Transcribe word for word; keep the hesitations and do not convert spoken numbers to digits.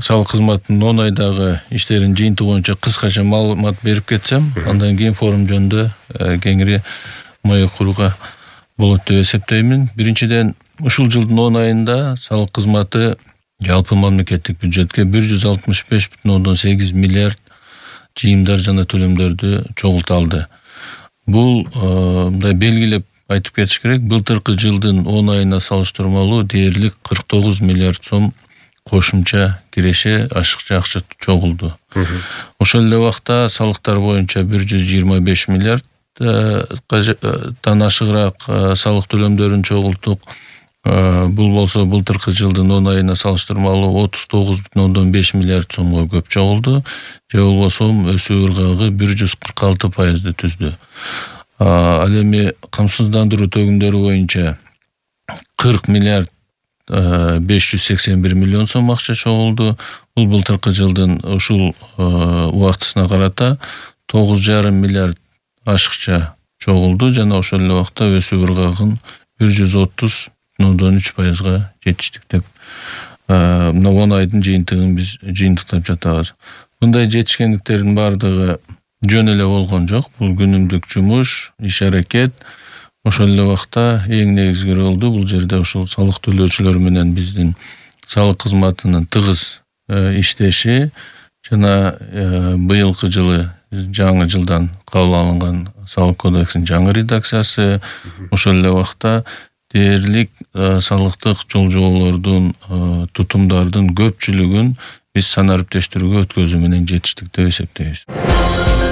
салык кызматынын он айдагы иштеринин жыйынтыгы боюнча кыскача маалымат берип кетсем, андан кийин форум жөнүндө кеңири маек курууга болот деп эсептеймин. Биринчиден, ушул жылдын он айында салык кызматы жалпы мамлекеттик бюджетке бир жүз алтымыш беш бүтүн ондон сегиз миллиард жыйымдар жана төлөмдөрдү чогулта алды. Бул мындай белгилеп айтып кетиш керек, былтыркы жылдын он айына салыштырмалуу дээрлик кырк тогуз миллиард сом кошумча киреше ашыкча акча чогулду. Ошол эле убакта салыктар боюнча бир жүз жыйырма беш миллиардтан ашыгыраак салык төлөмдөрүн чогулттук. Бул болсо былтыркы жылдын он айына салыштырмалуу отуз тогуз бүтүн ондон беш миллиард сомго көп чогулду. Же болбосо өсүү ыргагы бир жүз кырк алты пайызды түздү. Ал эми камсыздандыруу төгүмдөрү боюнча кырк миллиард беш жүз сексен бир миллион сом акча чогулду. Бул былтыркы жылдын ушул убактысына карата тогуз жарым миллиард ашыкча чогулду жана ошол эле убакта өсүү ыргагын бир жүз отуз бүтүн ондон үч пайызга жетиштик деп мына он айдын жыйынтыгын биз жыйынтыктап жатабыз. Мындай жетишкендиктердин баардыгы жөн эле болгон жок. Бул күнүмдүк жумуш, иш-аракет. Ошол эле убакта эң негизги ролду бул жерде ушул салык төлөөчүлөр менен биздин салык кызматынын тыгыз иштеши жана быйылкы жылы жаңы жылдан кабыл алынган салык кодексинин жаңы редакциясы, ошол эле убакта дээрлик салыктык жол-жоболордун, тутумдардын көпчүлүгүн биз санариптештирүүгө өткөзүү менен жетиштик деп эсептейбиз.